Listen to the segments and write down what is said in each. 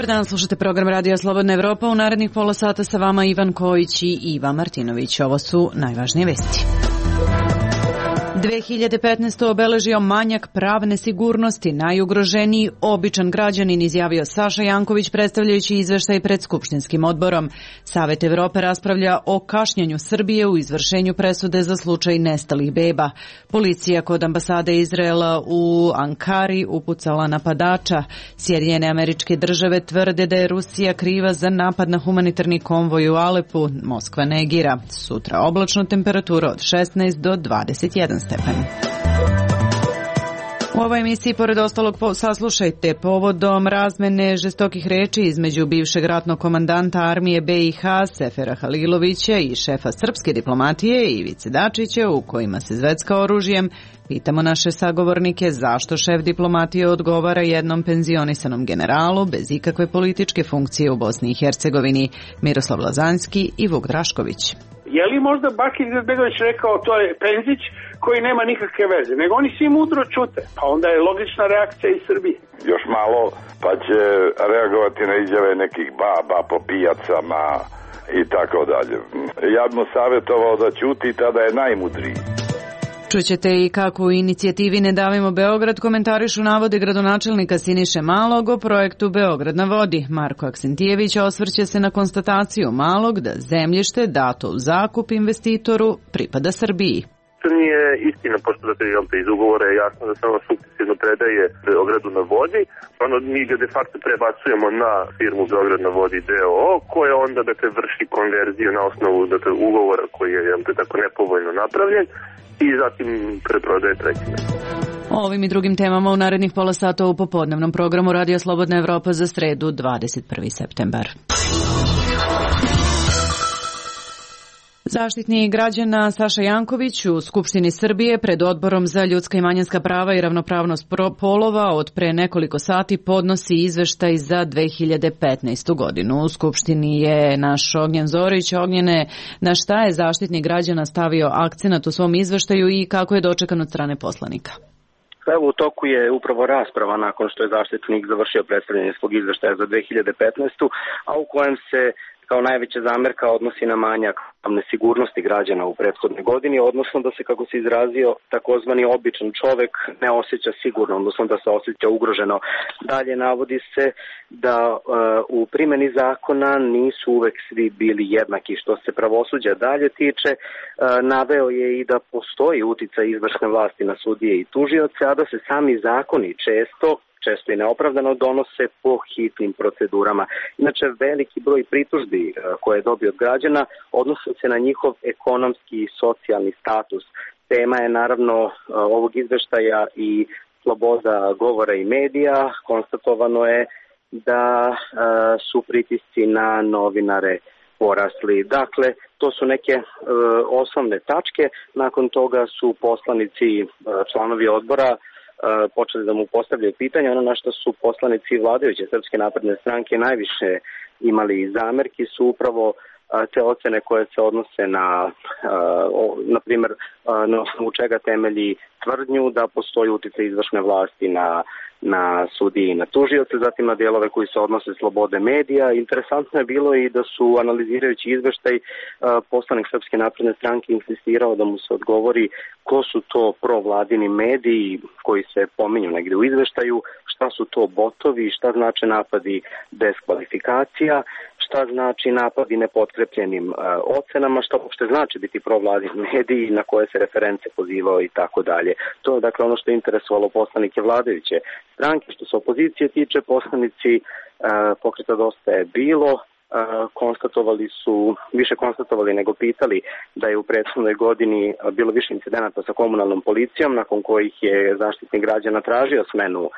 Dobar dan, slušate program Radija Slobodna Evropa. U narednih pola sata sa vama Ivan Kojić i Iva Martinović. Ovo su najvažnije vesti. 2015. obeležio manjak pravne sigurnosti. Najugroženiji običan građanin, izjavio Saša Janković predstavljajući izveštaj pred Skupštinskim odborom. Savet Evrope raspravlja o kašnjenju Srbije u izvršenju presude za slučaj nestalih beba. Policija kod ambasade Izraela u Ankari upucala napadača. Sjedinjene Američke Države tvrde da je Rusija kriva za napad na humanitarni konvoj u Alepu. Moskva negira. Sutra oblačno, temperatura od 16 do 21 stepen. U ovoj emisiji, pored ostalog, saslušajte povodom razmene žestokih reči između bivšeg ratnog komandanta armije BiH Sefera Halilovića i šefa srpske diplomatije Ivice Dačića, u kojima se zvecka oružjem. Pitamo naše sagovornike zašto šef diplomatije odgovara jednom penzionisanom generalu bez ikakve političke funkcije u Bosni i Hercegovini. Miroslav Lazanski i Vuk Drašković. Je li možda Bakir Izetbegović rekao to je Penzić koji nema nikakve veze, nego oni svi mudro čute, pa onda je logična reakcija iz Srbije. Još malo pa će reagovati na izjave nekih baba po pijacama i tako dalje. Ja bih mu savjetovao da ćuti, tada je najmudriji. Čućete i kako u inicijativi Ne davimo Beograd komentarišu navode gradonačelnika Siniše Malog o projektu Beograd na vodi. Marko Aksentijević osvrće se na konstataciju Malog da zemljište dato u zakup investitoru pripada Srbiji. To nije istina, pošto iz ugovora je jasno da se ono sukcesivno predaje Beogradu na vodi. Mi ga de facto prebacujemo na firmu Beograd na vodi D.O.O. koja onda vrši konverziju na osnovu ugovora koji je tako nepovoljno napravljen i zatim preprodaje trećine. O ovim i drugim temama u narednih pola sata u popodnevnom programu Radio Slobodna Evropa za sredu 21. septembar. Zaštitnik građana Saša Janković u Skupštini Srbije pred Odborom za ljudska i manjinska prava i ravnopravnost polova od pre nekoliko sati podnosi izveštaj za 2015. godinu. U Skupštini je naš Ognjen Zorić. Ognjene, na šta je Zaštitnik građana stavio akcenat u svom izveštaju i kako je dočekan od strane poslanika? Evo, u toku je upravo rasprava nakon što je Zaštitnik završio predstavljanje svog izveštaja za 2015. a u kojem se kao najveća zamerka odnosi na manjak pravne sigurnosti građana u prethodnoj godini, odnosno da se, kako se izrazio, takozvani običan čovek ne osjeća sigurno, odnosno da se osjeća ugroženo. Dalje navodi se da u primjeni zakona nisu uvek svi bili jednaki. Što se pravosuđa dalje tiče, naveo je i da postoji uticaj izvršne vlasti na sudije i tužioce, a da se sami zakoni često i neopravdano donose po hitnim procedurama. Inače, veliki broj pritužbi koje je dobio od građana odnose se na njihov ekonomski i socijalni status. Tema je naravno ovog izveštaja i sloboda govora i medija. Konstatovano je da su pritisci na novinare porasli. Dakle, to su neke osnovne tačke. Nakon toga su poslanici, članovi odbora, počeli da mu postavljaju pitanja. Ono na što su poslanici vladajuće Srpske napredne stranke najviše imali zamerki su upravo te ocene koje se odnose na primjer, na osnovu čega temelji tvrdnju da postoji uticaj izvršne vlasti na sudiji i na tužioce, zatim na dijelove koji se odnose slobode medija. Interesantno je bilo i da su, analizirajući izveštaj, poslanik Srpske napredne stranke insistirao da mu se odgovori ko su to provladini mediji koji se pominju negdje u izveštaju, šta su to botovi, šta znači napadi bez kvalifikacija, šta znači napadi nepotrepljenim ocenama, šta uopšte znači biti provladini mediji, na koje se reference pozivao i tako dalje. To je dakle ono što je interesovalo poslanike vladajuće stranke. Što se opozicije tiče, poslanici Pokreta Dosta je bilo više konstatovali nego pitali da je u prethodnoj godini bilo više incidenata sa komunalnom policijom, nakon kojih je Zaštitnik građana tražio smenu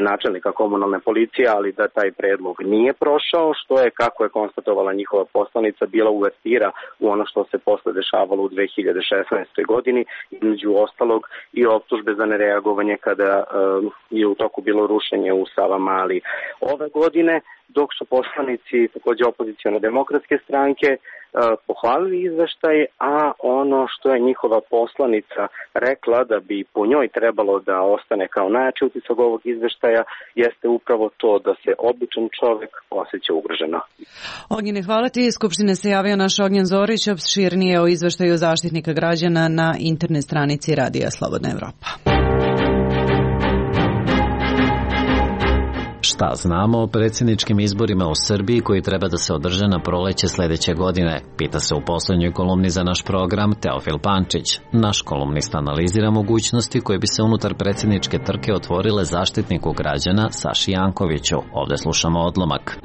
načelnika komunalne policije, ali da taj predlog nije prošao, što je, kako je konstatovala njihova poslanica, bila uvertira u ono što se posle dešavalo u 2016. godini, između ostalog i optužbe za nereagovanje kada je u toku bilo rušenje u Savamali ove godine, dok su poslanici također opozicione demokratske stranke pohvalili izveštaj, a ono što je njihova poslanica rekla da bi po njoj trebalo da ostane kao najjači utisak ovog izveštaja jeste upravo to da se običan čovek osjeća ugroženo. Ognjene, hvala ti. Iz Skupštine se javio naš Ognjen Zorić, opširnije o izveštaju Zaštitnika građana na internet stranici Radija Slobodna Evropa. Šta znamo o predsjedničkim izborima u Srbiji koji treba da se održe na proleće sledeće godine? Pita se u poslednjoj kolumni za naš program Teofil Pančić. Naš kolumnista analizira mogućnosti koje bi se unutar predsjedničke trke otvorile Zaštitniku građana Saši Jankoviću. Ovde slušamo odlomak.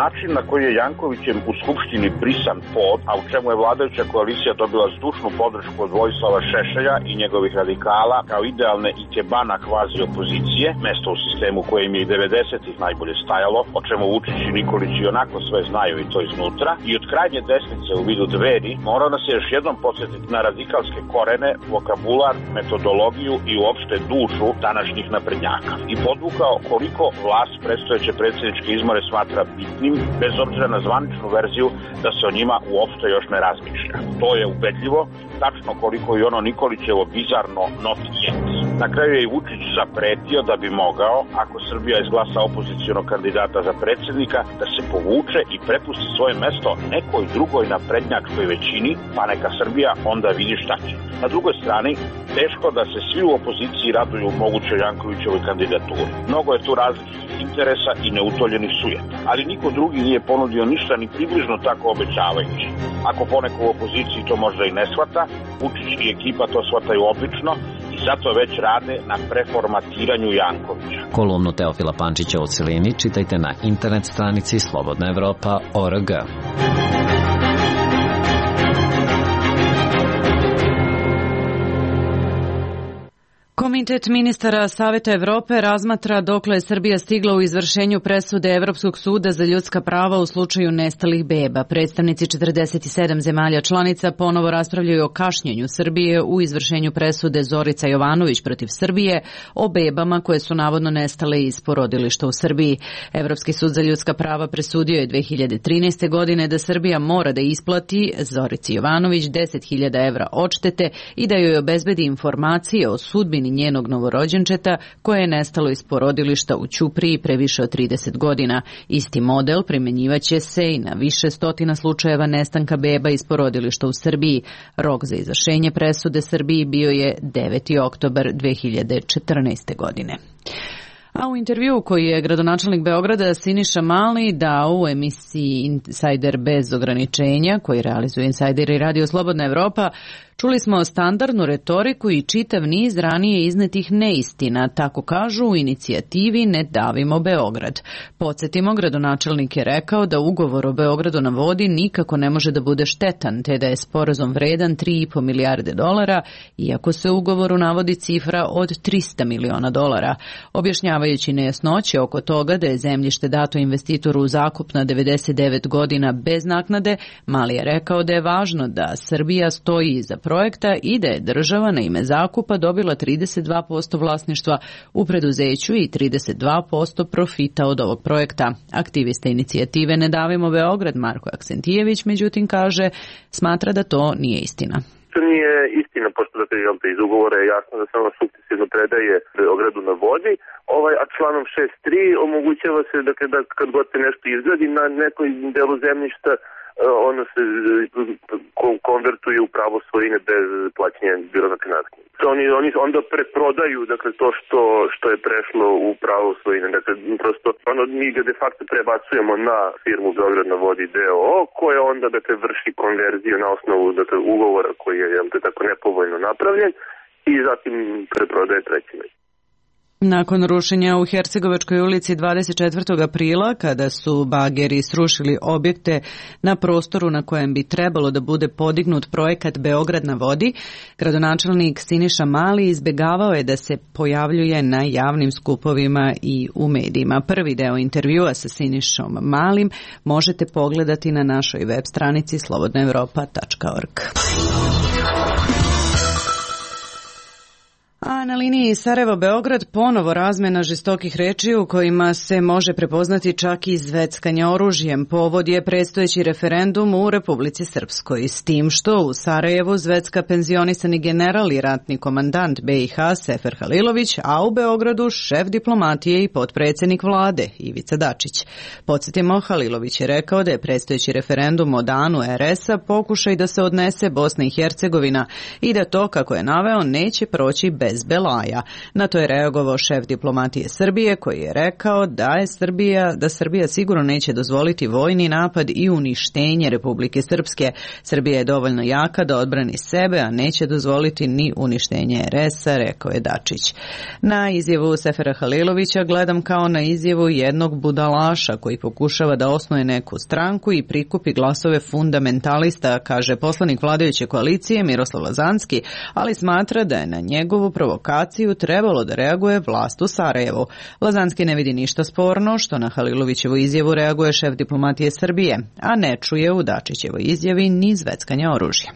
Način na koji je Jankovićem u Skupštini brisan pod, a u čemu je vladajuća koalicija dobila zdušnu podršku od Vojislava Šešelja i njegovih radikala kao idealne ikebana kvazi opozicije, mesto u sistemu koje im je i 90-ih najbolje stajalo, o čemu Vučić i Nikolić i onako sve znaju i to iznutra, i od krajnje desnice u vidu Dveri, mora nas još jednom podsjetiti na radikalske korene, vokabular, metodologiju i uopšte dušu današnjih naprednjaka. I podvukao koliko vlast predstojeće predsjedničke izbore smatra bitnim, bez obzira na zvaničnu verziju da se o njima uopšte još ne razmišlja. To je ubedljivo, tačno koliko i ono Nikolićevo bizarno not yet. Na kraju je i Vučić zapretio da bi mogao, ako Srbija izglasa opozicionog kandidata za predsjednika, da se povuče i prepusti svoje mesto nekoj drugoj naprednjačkoj većini, pa neka Srbija onda vidi šta će. Na drugoj strani, teško da se svi u opoziciji raduju mogućoj Jankovićevoj kandidaturi. Mnogo je tu različitih interesa i neutoljenih sujeta, ali niko drugi nije ponudio ništa ni približno tako obećavajući. Ako poneko u opoziciji to možda i ne shvata, Vučić i ekipa to shvataju obično i zato već rade na preformatiranju Jankovića. Kolumnu Teofila Pančića u celini čitajte na internet stranici slobodnaevropa.org. Komitet ministara Saveta Evrope razmatra dokle je Srbija stigla u izvršenju presude Evropskog suda za ljudska prava u slučaju nestalih beba. Predstavnici 47 zemalja članica ponovo raspravljaju o kašnjenju Srbije u izvršenju presude Zorica Jovanović protiv Srbije o bebama koje su navodno nestale iz porodilišta u Srbiji. Evropski sud za ljudska prava presudio je 2013. godine da Srbija mora da isplati Zorici Jovanović 10.000 evra odštete i da joj obezbedi informacije o sudbini njenog novorođenčeta koje je nestalo iz porodilišta u Ćupriji pre više od 30 godina. Isti model primenjivaće se i na više stotina slučajeva nestanka beba iz porodilišta u Srbiji. Rok za izvršenje presude Srbiji bio je 9. oktobar 2014. godine. A u intervju koji je gradonačelnik Beograda Siniša Mali dao u emisiji Insider bez ograničenja, koji realizuje Insider i Radio Slobodna Evropa, čuli smo standardnu retoriku i čitav niz ranije iznetih neistina, tako kažu u inicijativi Ne davimo Beograd. Podsjetimo, gradonačelnik je rekao da ugovor o Beogradu na vodi nikako ne može da bude štetan, te da je sporazum vredan 3,5 milijarde dolara, iako se u ugovoru navodi cifra od 300 miliona dolara. Objašnjavajući nejasnoće oko toga da je zemljište dato investitoru u zakup na 99 godina bez naknade, Mali je rekao da je važno da Srbija stoji iza projekta i da je država na ime zakupa dobila 32% vlasništva u preduzeću i 32% profita od ovog projekta. Aktivista inicijative Ne davimo Beograd Marko Aksentijević, međutim, kaže, smatra da to nije istina. To nije istina, pošto iz ugovora je jasno da samo sukcesivno predaje Beogradu na vodi, a članom 6.3 omogućava se da kad god se nešto izgradi na nekoj delu zemljišta, ono se konvertuje u pravo svojine bez plaćanja bilo naknade. Oni onda preprodaju to što je prešlo u pravo svojine. Dakle, prosto mi ga de facto prebacujemo na firmu Beograd na vodi d.o.o. koja onda vrši konverziju na osnovu ugovora koji je tako nepovoljno napravljen i zatim preprodaje trećima. Nakon rušenja u Hercegovačkoj ulici 24. aprila, kada su bageri srušili objekte na prostoru na kojem bi trebalo da bude podignut projekat Beograd na vodi, gradonačelnik Siniša Mali izbegavao je da se pojavljuje na javnim skupovima i u medijima. Prvi deo intervjua sa Sinišom Malim možete pogledati na našoj web stranici slobodnaevropa.org. A A na liniji Sarajevo-Beograd ponovo razmena žestokih reči u kojima se može prepoznati čak i zveckanje oružjem. Povod je predstojeći referendum u Republici Srpskoj. S tim što u Sarajevu zvecka penzionisani general i ratni komandant BiH Sefer Halilović, a u Beogradu šef diplomatije i potpredsjednik vlade Ivica Dačić. Podsjetimo, Halilović je rekao da je predstojeći referendum o danu RS-a pokušaj da se odnese Bosna i Hercegovina i da to, kako je naveo, neće proći bez belaja. Na to je reagovao šef diplomatije Srbije koji je rekao da Srbija sigurno neće dozvoliti vojni napad i uništenje Republike Srpske. Srbija je dovoljno jaka da odbrani sebe, a neće dozvoliti ni uništenje RS-a, rekao je Dačić. Na izjavu Sefera Halilovića gledam kao na izjavu jednog budalaša koji pokušava da osnuje neku stranku i prikupi glasove fundamentalista, kaže poslanik vladajuće koalicije Miroslav Lazanski, ali smatra da je na njegovu provokaciju trebalo da reaguje vlast u Sarajevu. Lazanski ne vidi ništa sporno što na Halilovićevu izjavu reaguje šef diplomatije Srbije, a ne čuje u Dačićevoj izjavi ni zveckanja oružja.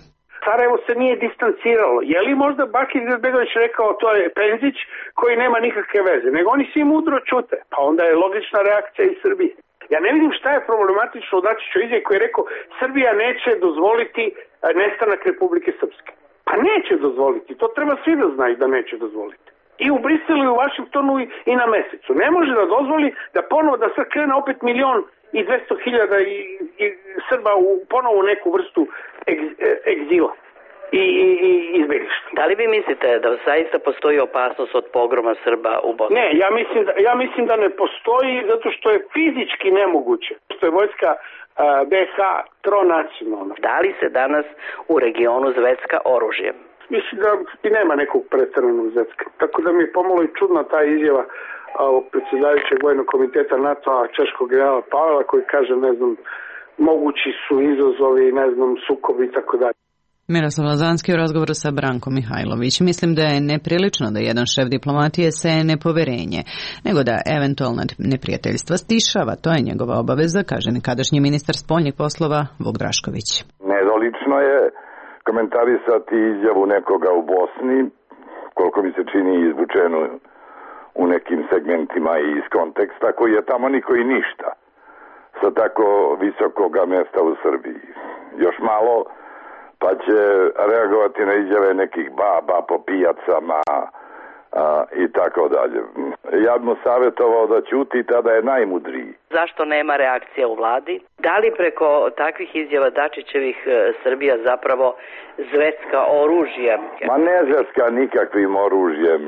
Sarajevo se nije distanciralo. Je li možda Bakir Izetbegović rekao to je Penzić koji nema nikakve veze, nego oni svi mudro čute, pa onda je logična reakcija iz Srbije. Ja ne vidim šta je problematično u Dačićevoj izjavi koji je rekao Srbija neće dozvoliti nestanak Republike Srpske. Pa neće dozvoliti, to treba svi da znaju da neće dozvoliti. I u Briselu i u Vašingtonu i na Mesecu. Ne može da dozvoli da ponovo da sad krene opet 1.200.000 i Srba u ponovo neku vrstu egzila i izbjeglištva. Da li vi mislite da zaista postoji opasnost od pogroma Srba u Bosni? Ne, ja mislim da ne postoji zato što je fizički nemoguće. Što je vojska BiH tronacionalna. Da li se danas u regionu zvecka oružjem? Mislim da i nema nekog pretjeranog zvecka. Tako da mi je pomalo i čudna ta izjava predsjedavajućeg vojnog komiteta NATO-a češkog generala Pavela koji kaže, ne znam, mogući su izazovi, ne znam, sukobi i tako dalje. Miroslav Lazanski u razgovoru sa Brankom Mihajlović. Mislim da je neprilično da jedan šef diplomatije seje nepoverenje, nego da eventualna neprijateljstva stišava. To je njegova obaveza, kaže nekadašnji ministar spoljnih poslova Vuk Drašković. Nedolično je komentarisati izjavu nekoga u Bosni, koliko mi se čini izvučeno u nekim segmentima i iz konteksta, koji je tamo niko i ništa sa tako visokoga mjesta u Srbiji. Još malo pa će reagovati na izjave nekih baba po pijacama i tako dalje. Ja bi mu savjetovao da ćuti, tada je najmudriji. Zašto nema reakcija u vladi? Da li preko takvih izjava Dačićevih Srbija zapravo zvecka oružjem? Ma ne zvecka nikakvim oružjem.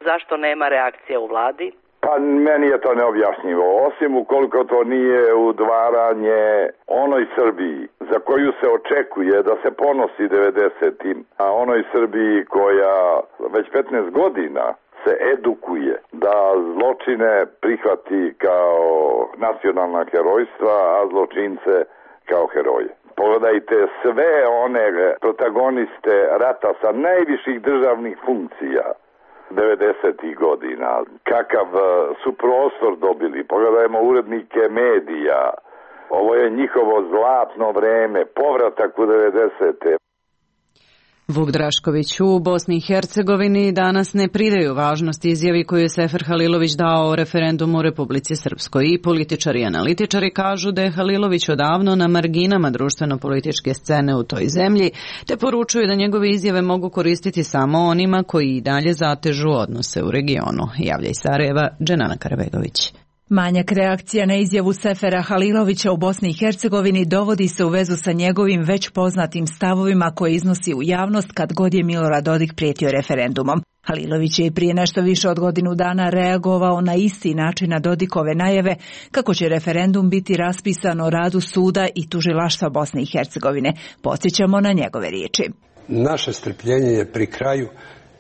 Zašto nema reakcija u vladi? Pa meni je to neobjašnjivo, osim ukoliko to nije udvaranje onoj Srbiji za koju se očekuje da se ponosi 90-im, a onoj Srbiji koja već 15 godina se edukuje da zločine prihvati kao nacionalna herojstva, a zločince kao heroje. Pogledajte sve one protagoniste rata sa najviših državnih funkcija 90. godina. Kakav su prostor dobili. Pogledajmo urednike medija. Ovo je njihovo zlatno vreme. Povratak u 90. Vuk Drašković u Bosni i Hercegovini danas ne pridaju važnost izjavi koju je Sefer Halilović dao o referendumu u Republici Srpskoj. I političari i analitičari kažu da je Halilović odavno na marginama društveno-političke scene u toj zemlji, te poručuju da njegove izjave mogu koristiti samo onima koji i dalje zatežu odnose u regionu. Javlja iz Sarajeva, Dženana Karabegović. Manjak reakcija na izjavu Sefera Halilovića u Bosni i Hercegovini dovodi se u vezu sa njegovim već poznatim stavovima koje iznosi u javnost kad god je Milorad Dodik prijetio referendumom. Halilović je i prije nešto više od godinu dana reagovao na isti način na Dodikove najave kako će referendum biti raspisan o radu suda i tužilaštva Bosne i Hercegovine. Podsjećamo na njegove riječi. Naše strpljenje je pri kraju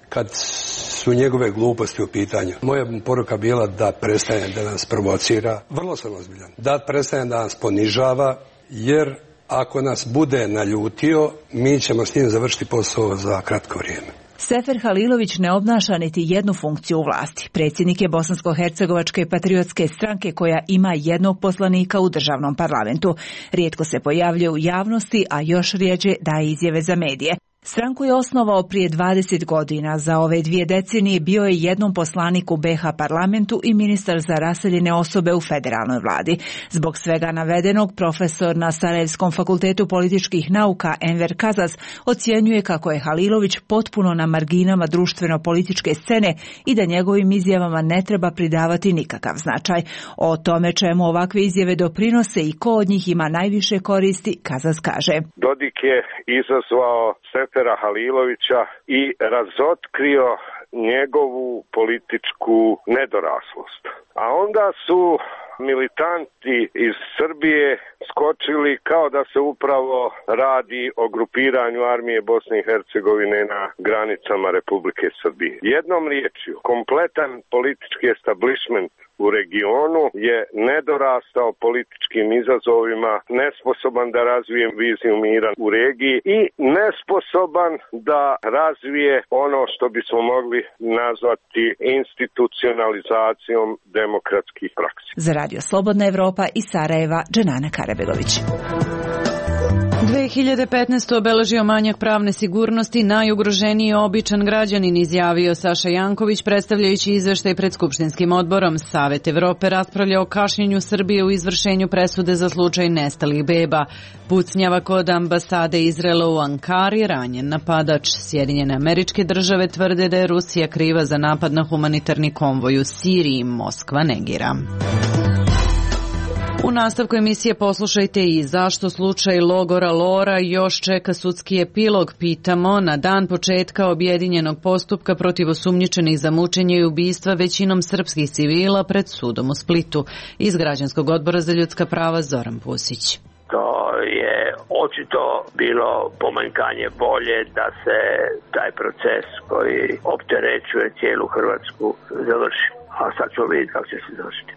kad su njegove gluposti u pitanju. Moja poruka bila da prestane da nas provocira, vrlo sam ozbiljan, da prestane da nas ponižava, jer ako nas bude naljutio, mi ćemo s njim završiti posao za kratko vrijeme. Sefer Halilović ne obnaša niti jednu funkciju u vlasti. Predsjednik je Bosansko-hercegovačke patriotske stranke koja ima jednog poslanika u državnom parlamentu. Rijetko se pojavljuje u javnosti, a još rjeđe daje izjave za medije. Stranku je osnovao prije 20 godina. Za ove 2 decenije bio je jednom poslanik u BiH parlamentu i ministar za raseljene osobe u federalnoj vladi. Zbog svega navedenog, profesor na Sarajevskom fakultetu političkih nauka Enver Kazas ocjenjuje kako je Halilović potpuno na marginama društveno-političke scene i da njegovim izjavama ne treba pridavati nikakav značaj. O tome čemu ovakve izjave doprinose i ko od njih ima najviše koristi, Kazas kaže. Dodik je izazvao Sefera Halilovića i razotkrio njegovu političku nedoraslost. A onda su militanti iz Srbije skočili kao da se upravo radi o grupiranju armije Bosne i Hercegovine na granicama Republike Srbije. Jednom riječju, kompletan politički establishment u regionu je nedorastao političkim izazovima, nesposoban da razvije viziju mira u regiji i nesposoban da razvije ono što bismo mogli nazvati institucionalizacijom demokratskih praksi. Za Radio Slobodna Evropa iz Sarajeva, Dženana Karabegović. 2015. obeležio manjak pravne sigurnosti, najugroženiji običan građanin, izjavio Saša Janković, predstavljajući izveštaj pred Skupštinskim odborom. Savet Evrope raspravlja o kašnjenju Srbije u izvršenju presude za slučaj nestalih beba. Pucnjava kod ambasade Izraela u Ankari, ranjen napadač. Sjedinjene Američke Države tvrde da je Rusija kriva za napad na humanitarni konvoj u Siriji. Moskva negira. U nastavku emisije poslušajte i zašto slučaj logora Lora još čeka sudski epilog. Pitamo, na dan početka objedinjenog postupka protiv osumnjičenih za mučenje i ubistva većinom srpskih civila pred sudom u Splitu. Iz Građanskog odbora za ljudska prava Zoran Pusić. To je očito bilo pomanjkanje volje da se taj proces koji opterećuje cijelu Hrvatsku završi. A sad ćemo vidjeti kako će se završiti.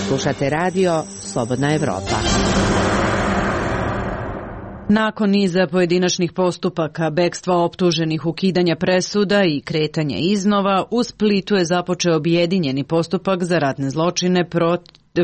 Slušate radio Slobodna Evropa. Nakon niza pojedinačnih postupaka, bekstva optuženih, ukidanja presuda i kretanja iznova, u Splitu je započeo objedinjeni postupak za ratne zločine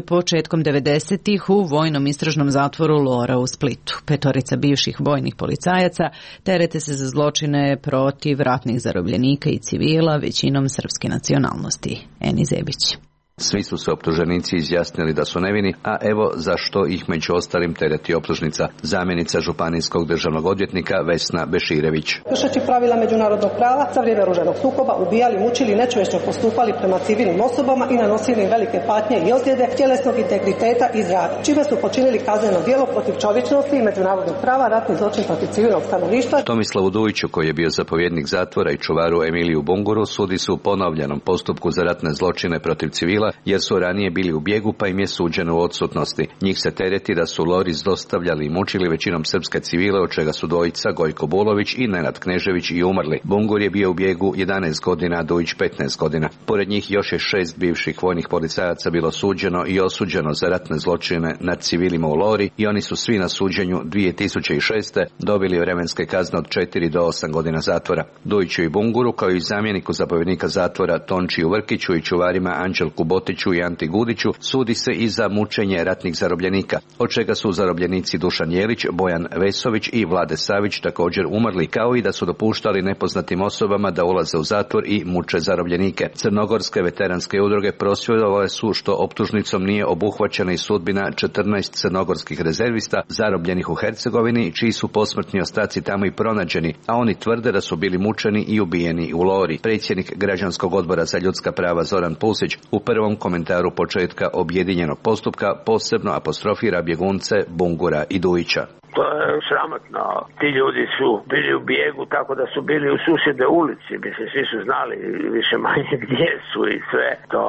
početkom 90-ih u vojnom istražnom zatvoru Lora u Splitu. 5 bivših vojnih policajaca terete se za zločine protiv ratnih zarobljenika i civila, većinom srpske nacionalnosti. Eni Zebić. Svi su se optuženici izjasnili da su nevini, a evo zašto ih među ostalim tereti optužnica. Zamjenica županijskog državnog odvjetnika Vesna Beširević. Kršeći pravila međunarodnog prava, za vrijeme oružanog sukoba ubijali, mučili, nečovječno postupali prema civilnim osobama i nanosili im velike patnje i ozljede tjelesnog integriteta i zdravlja, čime su počinili kazneno djelo protiv čovječnosti i međunarodnog prava, ratni zločin protiv civilnog stanovništva. Tomislavu Dujiću, koji je bio zapovjednik zatvora, i čuvaru Emiliju Bunguru sudi su u ponovljenom postupku za ratne zločine protiv civila, jer su ranije bili u bijegu pa im je suđeno u odsutnosti. Njih se tereti da su Lori zlostavljali i mučili većinom srpske civile, od čega su dvojica, Gojko Bulović i Nenad Knežević, i umrli. Bungur je bio u bijegu 11 godina, a Dujić 15 godina. Pored njih još je 6 bivših vojnih policajaca bilo suđeno i osuđeno za ratne zločine nad civilima u Lori i oni su svi na suđenju 2006. dobili vremenske kazne od 4 do 8 godina zatvora. Dujiću i Bunguru, kao i zamjeniku zapovjednika zatvora Tončiju Vrkiću i čuvarima Anđelku Botiću i Anti Gudiću, sudi se i za mučenje ratnih zarobljenika, od čega su zarobljenici Dušan Jelić, Bojan Vesović i Vlade Savić također umrli, kao i da su dopuštali nepoznatim osobama da ulaze u zatvor i muče zarobljenike. Crnogorske veteranske udruge prosvjedovale su što optužnicom nije obuhvaćena i sudbina 14 crnogorskih rezervista zarobljenih u Hercegovini, čiji su posmrtni ostaci tamo i pronađeni, a oni tvrde da su bili mučeni i ubijeni u Lori. Predsjednik Građanskog odbora za ljudska prava Zoran Pusić u prvom komentaru početka objedinjenog postupka posebno apostrofira bjegunce Bungura i Dujića. To je sramotno. Ti ljudi su bili u bijegu tako da su bili u susjednoj ulici. Mislim, svi su znali više manje gdje su i sve. To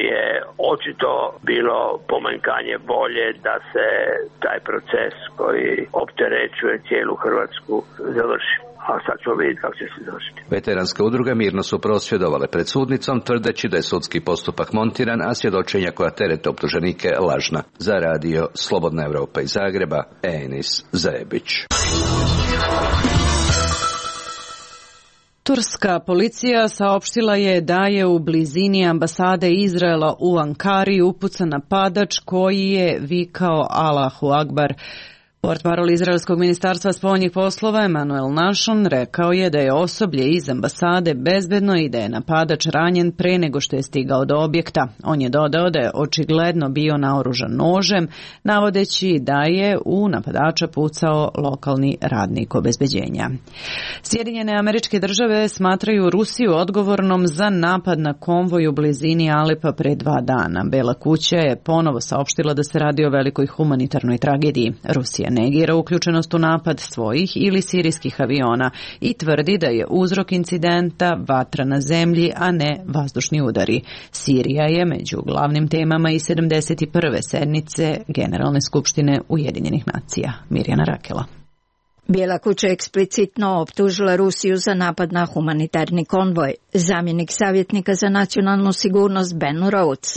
je očito bilo pomanjkanje volje da se taj proces koji opterećuje cijelu Hrvatsku završi. A sad ćemo vidjeti kako će se završiti. Veteranske udruge mirno su prosvjedovale pred sudnicom, tvrdeći da je sudski postupak montiran, a svjedočenja koja terete optuženike lažna. Za radio Slobodna Evropa iz Zagreba, Enis Zebić. Turska policija saopštila je da je u blizini ambasade Izraela u Ankari upucan napadač koji je vikao Allahu Akbar. Portparol izraelskog ministarstva spoljnih poslova Emanuel Nahshon rekao je da je osoblje iz ambasade bezbedno i da je napadač ranjen pre nego što je stigao do objekta. On je dodao da je očigledno bio naoružan nožem, navodeći da je u napadača pucao lokalni radnik obezbeđenja. Sjedinjene Američke Države smatraju Rusiju odgovornom za napad na konvoj u blizini Alepa pre 2 dana. Bela kuća je ponovo saopštila da se radi o velikoj humanitarnoj tragediji. Rusija negira uključenost u napad svojih ili sirijskih aviona i tvrdi da je uzrok incidenta vatra na zemlji, a ne vazdušni udari. Sirija je među glavnim temama i 71. sednice Generalne skupštine Ujedinjenih nacija. Mirjana Rakela. Bijela kuća eksplicitno optužila Rusiju za napad na humanitarni konvoj. Zamjenik savjetnika za nacionalnu sigurnost Ben Rhodes.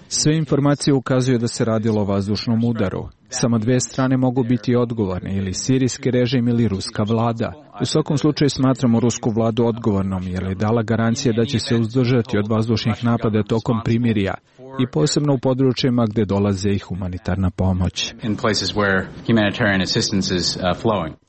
Sve informacije ukazuju da se radilo o vazdušnom udaru. Samo 2 strane mogu biti odgovorne, ili sirijski režim ili ruska vlada. U svakom slučaju smatramo rusku vladu odgovornom, jer je dala garancije da će se uzdržati od vazdušnih napada tokom primirja i posebno u područjima gdje dolaze i humanitarna pomoć.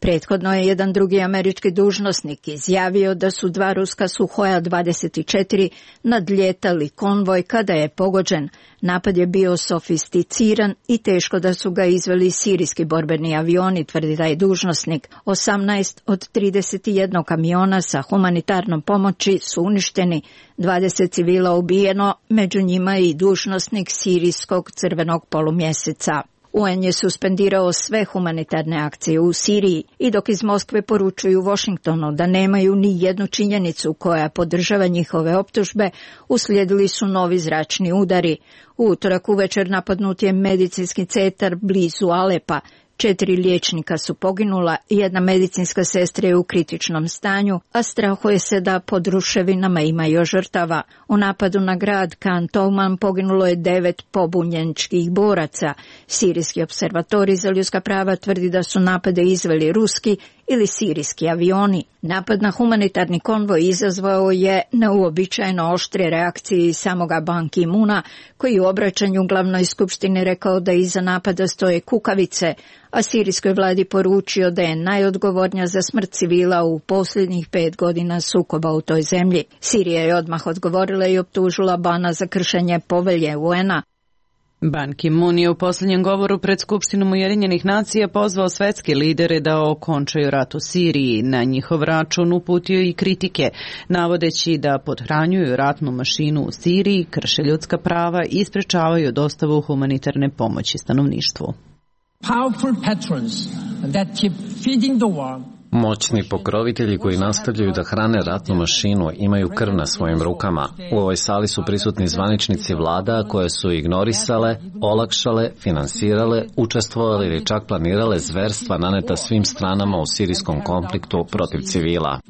Prethodno je jedan drugi američki dužnosnik izjavio da su 2 ruska Suhoja 24 nadljetali konvoj kada je pogođen. Napad je bio sofisticiran i teško da su ga izveli sirijski borbeni avioni, tvrdi taj dužnosnik. 18 od 31 kamiona sa humanitarnom pomoći su uništeni, 20 civila ubijeno, među njima i dužnosnik sirijskog crvenog polumjeseca. UN je suspendirao sve humanitarne akcije u Siriji i dok iz Moskve poručuju Washingtonu da nemaju ni jednu činjenicu koja podržava njihove optužbe, uslijedili su novi zračni udari. U utorak uvečer napadnut je medicinski centar blizu Alepa. 4 liječnika su poginula, 1 medicinska sestra je u kritičnom stanju, a strahuje se da pod ruševinama ima još žrtava. U napadu na grad Khan Touman poginulo je 9 pobunjeničkih boraca. Sirijski observatorij za ljudska prava tvrdi da su napade izveli ruski ili sirijski avioni. Napad na humanitarni konvoj izazvao je neuobičajeno oštre reakcije iz samoga Ban Ki-moona, koji u obraćanju glavnoj skupštini rekao da iza napada stoje kukavice, a sirijskoj vladi poručio da je najodgovornija za smrt civila u posljednjih 5 godina sukoba u toj zemlji. Sirija je odmah odgovorila i optužila Bana za kršenje povelje UN-a. Ban Ki-moon je u posljednjem govoru pred Skupštinom Ujedinjenih nacija pozvao svetske lidere da okončaju rat u Siriji. Na njihov račun uputio i kritike, navodeći da pothranjuju ratnu mašinu u Siriji, krše ljudska prava i sprečavaju dostavu humanitarne pomoći stanovništvu. Moćni pokrovitelji koji nastavljaju da hrane ratnu mašinu imaju krv na svojim rukama. U ovoj sali su prisutni zvaničnici vlada koje su ignorisale, olakšale, finansirale, učestvovale ili čak planirale zverstva naneta svim stranama u sirijskom konfliktu protiv civila.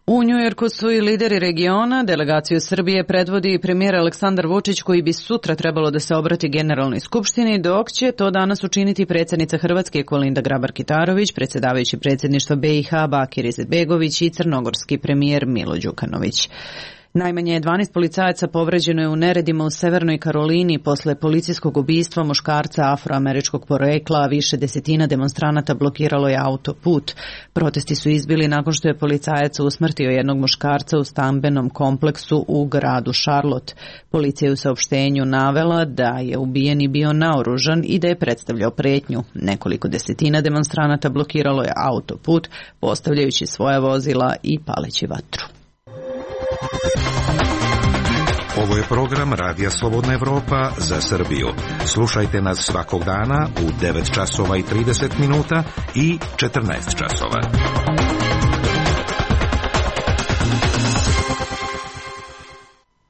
U Njujorku su i lideri regiona, delegaciju Srbije predvodi premijer Aleksandar Vučić, koji bi sutra trebalo da se obrati Generalnoj skupštini, dok će to danas učiniti predsjednica Hrvatske Kolinda Grabar-Kitarović, predsjedavajući predsjedništva BiH Bakir Izetbegović i crnogorski premijer Milo Đukanović. Najmanje 12 policajaca povređeno je u neredima u Severnoj Karolini posle policijskog ubistva muškarca afroameričkog porekla, a više desetina demonstranata blokiralo je autoput. Protesti su izbili nakon što je policajac usmrtio jednog muškarca u stambenom kompleksu u gradu Charlotte. Policija je u saopštenju navela da je ubijeni bio naoružan i da je predstavljao pretnju. Nekoliko desetina demonstranata blokiralo je autoput, postavljajući svoja vozila i paleći vatru. Ovo je program Radija Slobodna Evropa za Srbiju. Slušajte nas svakog dana u 9 časova i 30 minuta i 14 časova.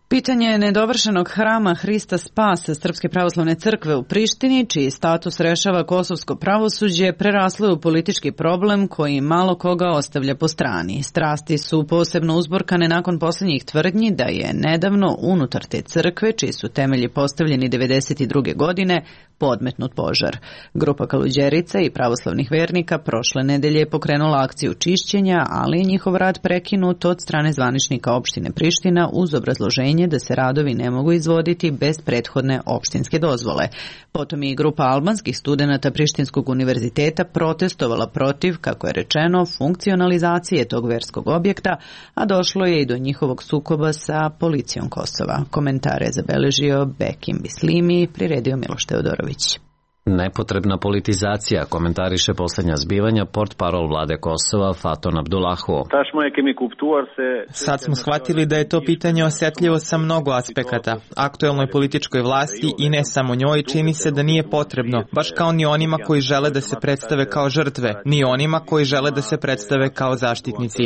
Pitanje nedovršenog hrama Hrista Spasa Srpske pravoslavne crkve u Prištini, čiji status rešava kosovsko pravosuđe, preraslo je u politički problem koji malo koga ostavlja po strani. Strasti su posebno uzburkane nakon posljednjih tvrdnji da je nedavno unutar te crkve, čiji su temelji postavljeni 1992. godine, podmetnut požar. Grupa Kaluđerica i pravoslavnih vernika prošle nedelje je pokrenula akciju čišćenja, ali je njihov rad prekinut od strane zvaničnika opštine Priština uz obrazloženje objašnjenje da se radovi ne mogu izvoditi bez prethodne opštinske dozvole. Potom je i grupa albanskih studenata Prištinskog univerziteta protestovala protiv, kako je rečeno, funkcionalizacije tog verskog objekta, a došlo je i do njihovog sukoba sa policijom Kosova. Komentare je zabeležio Bekim Bislimi, priredio Miloš Teodorović. Nepotrebna politizacija, komentariše posljednja zbivanja portparol vlade Kosova Faton Abdullahu. Sad smo shvatili da je to pitanje osjetljivo sa mnogo aspekata. Aktuelnoj političkoj vlasti i ne samo njoj čini se da nije potrebno, baš kao ni onima koji žele da se predstave kao žrtve, ni onima koji žele da se predstave kao zaštitnici.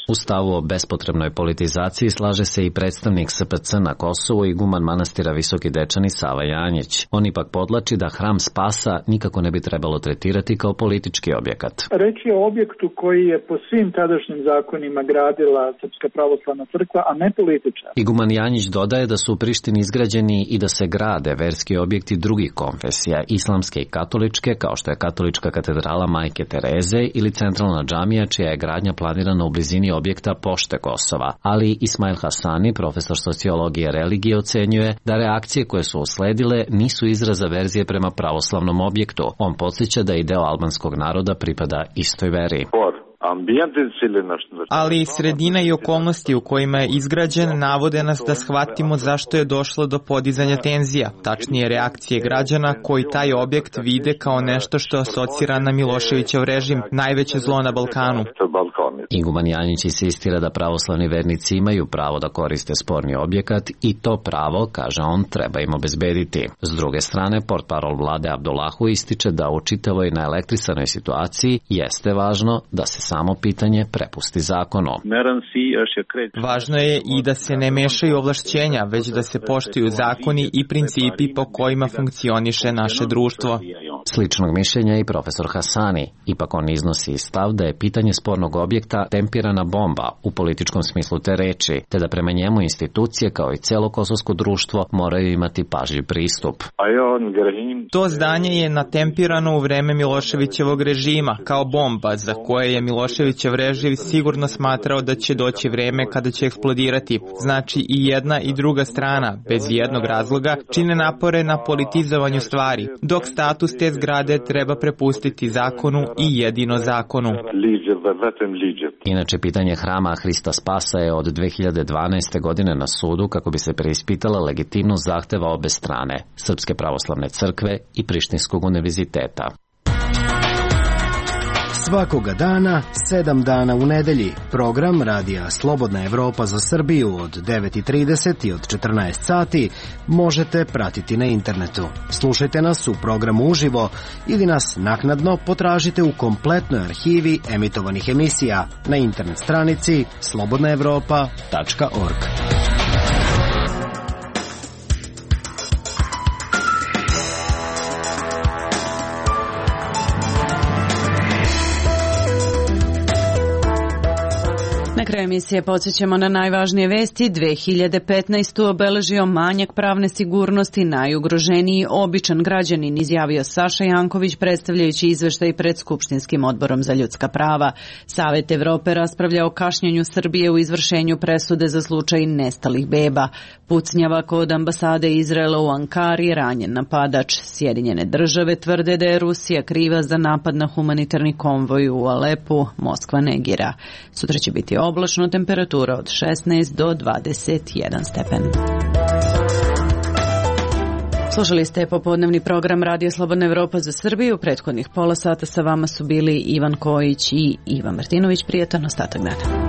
U stavu o bespotrebnoj politizaciji slaže se i predstavnik SPC na Kosovu i guman manastira Visoki Dečani Sava Janjić. On ipak podlači da Hram Spasa nikako ne bi trebalo tretirati kao politički objekat. Reč je o objektu koji je po svim tadašnjim zakonima gradila Srpska pravoslavna crkva, a ne političar. Iguman Janjić dodaje da su u Prištini izgrađeni i da se grade verski objekti drugih konfesija, islamske i katoličke, kao što je katolička katedrala Majke Tereze ili centralna džamija, čija je gradnja planirana u blizini objekta Pošte Kosova. Ali Ismail Hasani, profesor sociologije religije, ocenjuje da reakcije koje su usledile nisu izraz averzije prema pravoslavnom objektu. On podsjeća da i deo albanskog naroda pripada istoj veri. Ali sredina i okolnosti u kojima je izgrađen navode nas da shvatimo zašto je došlo do podizanja tenzija, tačnije reakcije građana koji taj objekt vide kao nešto što asocira na Miloševićev režim, najveće zlo na Balkanu. Iguman Janjić insistira da pravoslavni vernici imaju pravo da koriste sporni objekat i to pravo, kaže on, treba im obezbediti. S druge strane, portparol vlade Abdullahu ističe da u čitavoj naelektrisanoj situaciji jeste važno da se samo pitanje prepusti zakonu. Važno je i da se ne mešaju ovlašćenja, već da se poštuju zakoni i principi po kojima funkcioniše naše društvo. Sličnog mišljenja i profesor Hasani. Ipak on iznosi stav da je pitanje spornog objekta tempirana bomba u političkom smislu te reči, te da prema njemu institucije kao i celo kosovsko društvo moraju imati pažljiv pristup. To zdanje je natempirano u vreme Miloševićevog režima kao bomba za koje je Miloševićev režim sigurno smatrao da će doći vreme kada će eksplodirati. Znači i jedna i druga strana, bez jednog razloga, čine napore na politizovanju stvari, dok status te zgrade treba prepustiti zakonu i jedino zakonu. Inače, pitanje hrama Hrista Spasa je od 2012. godine na sudu kako bi se preispitala legitimnost zahteva obe strane, Srpske pravoslavne crkve i Prištinskog univerziteta. Svakoga dana, 7 dana u nedelji, program Radija Slobodna Evropa za Srbiju od 9:30 i od 14 sati možete pratiti na internetu. Slušajte nas u programu uživo ili nas naknadno potražite u kompletnoj arhivi emitovanih emisija na internet stranici slobodnaevropa.org. Na kraju emisije podsjećamo na najvažnije vesti. 2015. obeležio manjak pravne sigurnosti, najugroženiji običan građanin, izjavio Saša Janković predstavljajući izveštaj pred Skupštinskim odborom za ljudska prava. Savet Evrope raspravlja o kašnjenju Srbije u izvršenju presude za slučaj nestalih beba. Pucnjava kod ambasade Izraela u Ankari, ranjen napadač. Sjedinjene države tvrde da je Rusija kriva za napad na humanitarni konvoj u Alepu, Moskva negira. Sutra će biti oblačno, temperatura od 16 do 21 stepen. Slušali ste popodnevni program Radija Slobodna Evropa za Srbiju. Prethodnih pola sata sa vama su bili Ivan Kojić i Ivan Martinović. Prijatan ostatak dana.